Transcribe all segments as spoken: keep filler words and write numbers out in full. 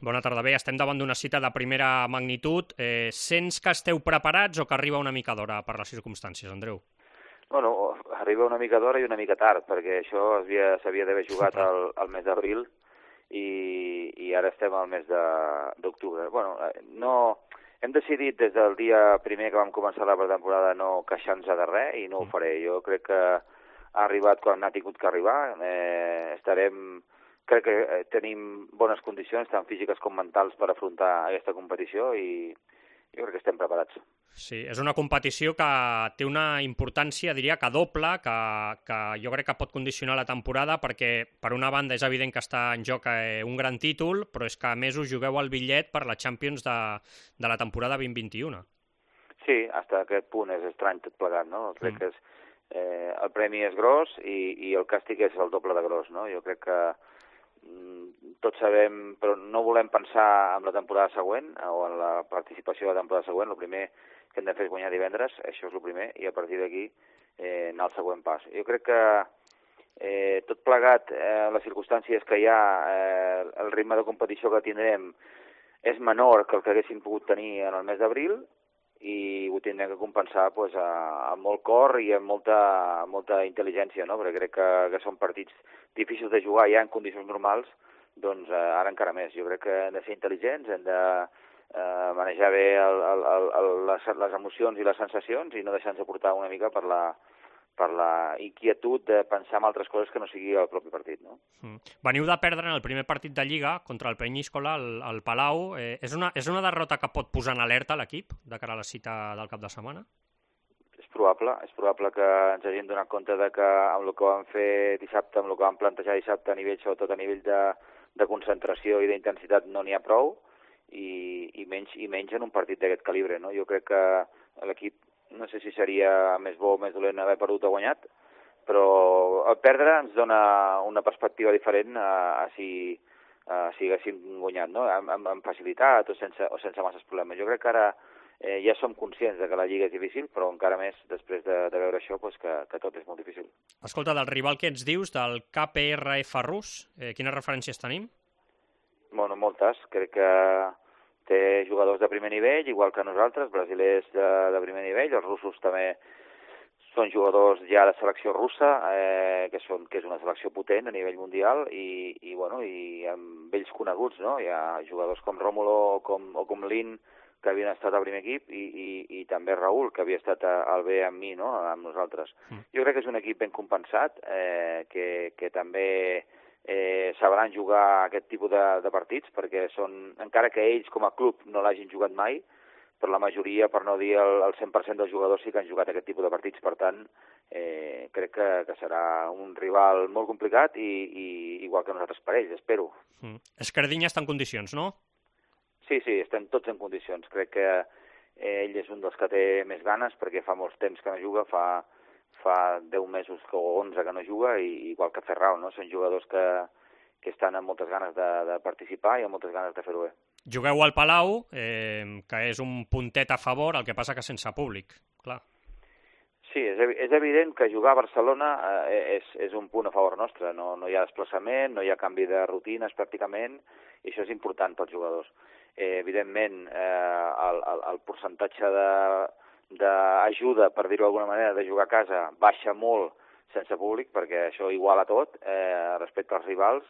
Bona tarda. Bé, estem davant d'una cita de primera magnitud. Eh, sents que esteu preparats o que arriba una mica d'hora per les circumstàncies, Andreu? Bueno, arriba una mica d'hora i una mica tard, perquè això s'havia d'haver jugat al, al mes d'abril i, i ara estem al mes d'octubre. Bueno, no, hem decidit des del dia primer que vam començar la pretemporada no queixar-nos de res i no ho faré. Jo crec que ha arribat quan ha tingut que arribar. Eh, estarem... Crec que tenim bones condicions, tant físiques com mentals, per afrontar aquesta competició i jo crec que estem preparats. Sí, és una competició que té una importància, diria que doble, que, que jo crec que pot condicionar la temporada, perquè per una banda és evident que està en joc eh, un gran títol, però és que a més us jugueu el bitllet per la Champions de, de la temporada vint vint-vint-un. Sí, fins a aquest punt és estrany tot plegat, no? Crec mm. que és, eh, el premi és gros i, i el càstig és el doble de gros, no? Jo crec que tots sabem, però no volem pensar en la temporada següent o en la participació de la temporada següent. El primer que hem de fer és guanyar divendres, això és el primer, i a partir d'aquí eh, anar al següent pas. Jo crec que eh, tot plegat, eh, les circumstàncies que hi ha, eh, el ritme de competició que tindrem és menor que el que haguéssim pogut tenir en el mes d'abril i ho tindrem que compensar pues, a, amb molt cor i amb molta, molta intel·ligència, no? Perquè crec que, que són partits difícils de jugar ja en condicions normals, doncs eh, ara encara més. Jo crec que hem de ser intel·ligents, hem de eh, manejar bé el, el, el, el, les, les emocions i les sensacions i no deixar-nos portar una mica per la, per la inquietud de pensar en altres coses que no sigui el propi partit, no? Mm. Veniu de perdre en el primer partit de Lliga contra el Penyíscola, al, al Palau. Eh, és, una, és una derrota que pot posar en alerta l'equip de cara a la cita del cap de setmana? És probable, és probable que ens hagin donat compte de que amb el que vam fer dissabte, amb el que vam plantejar dissabte a nivell, sobretot a nivell de, de concentració i d'intensitat no n'hi ha prou i, i, menys, i menys en un partit d'aquest calibre, no? Jo crec que l'equip, no sé si seria més bo o més dolent haver perdut o guanyat, però el perdre ens dona una perspectiva diferent a, a si, a si haguéssim guanyat, no? Amb, amb, amb facilitat o sense, o sense masses problemes. Jo crec que ara eh, ja som conscients de que la Lliga és difícil, però encara més després de, de veure això pues, que, que tot és molt difícil. Escolta, del rival que ens dius, del K P R F rus, eh, quines referències tenim? Bueno, moltes. Crec que té jugadors de primer nivell, igual que nosaltres, brasilers de, de primer nivell, els russos també són jugadors ja de selecció russa, eh, que, són, que és una selecció potent a nivell mundial, i, i, bueno, i amb ells coneguts, no? Hi ha jugadors com Rómulo o com, o com Lin, que havien estat al primer equip, i, i, i també Raúl, que havia estat al B amb mi, no? Amb nosaltres. Mm. Jo crec que és un equip ben compensat, eh, que, que també Eh, sabran jugar aquest tipus de, de partits, perquè són, encara que ells com a club no l'hagin jugat mai, però la majoria, per no dir el, el cent per cent dels jugadors sí que han jugat aquest tipus de partits. Per tant, eh, crec que, que serà un rival molt complicat i, i igual que nosaltres per ells, espero. Mm. Escardinya està en condicions, no? Sí, sí, estem tots en condicions. Crec que eh, ell és un dels que té més ganes, perquè fa molts temps que no juga, fa... fa deu mesos o onze que no juga, i igual que Ferrao, no? Són jugadors que, que estan amb moltes ganes de, de participar i amb moltes ganes de fer-ho bé. Jugueu al Palau, eh, que és un puntet a favor, el que passa que sense públic, clar. Sí, és, és evident que jugar a Barcelona eh, és, és un punt a favor nostre. No, no hi ha desplaçament, no hi ha canvi de rutines pràcticament, i això és important pels jugadors. Eh, evidentment, eh, el, el, el percentatge de d'ajuda, per dir-ho d'alguna manera, de jugar a casa baixa molt sense públic, perquè això iguala tot eh, respecte als rivals,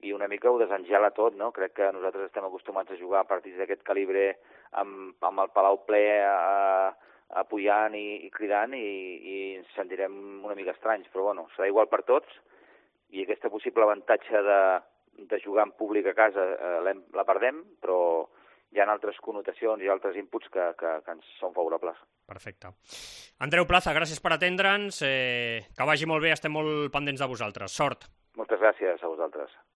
i una mica ho desengela tot, no? Crec que nosaltres estem acostumats a jugar a partits d'aquest calibre amb, amb el Palau ple eh, apoyant i, i cridant, i, i ens sentirem una mica estranys, però bueno, serà igual per tots, i aquesta possible avantatge de, de jugar en públic a casa eh, la perdem, però hi ha altres connotacions i altres inputs que, que, que ens són favorables. Perfecte. Andreu Plaza, gràcies per atendre'ns. Eh, que vagi molt bé, estem molt pendents de vosaltres. Sort. Moltes gràcies a vosaltres.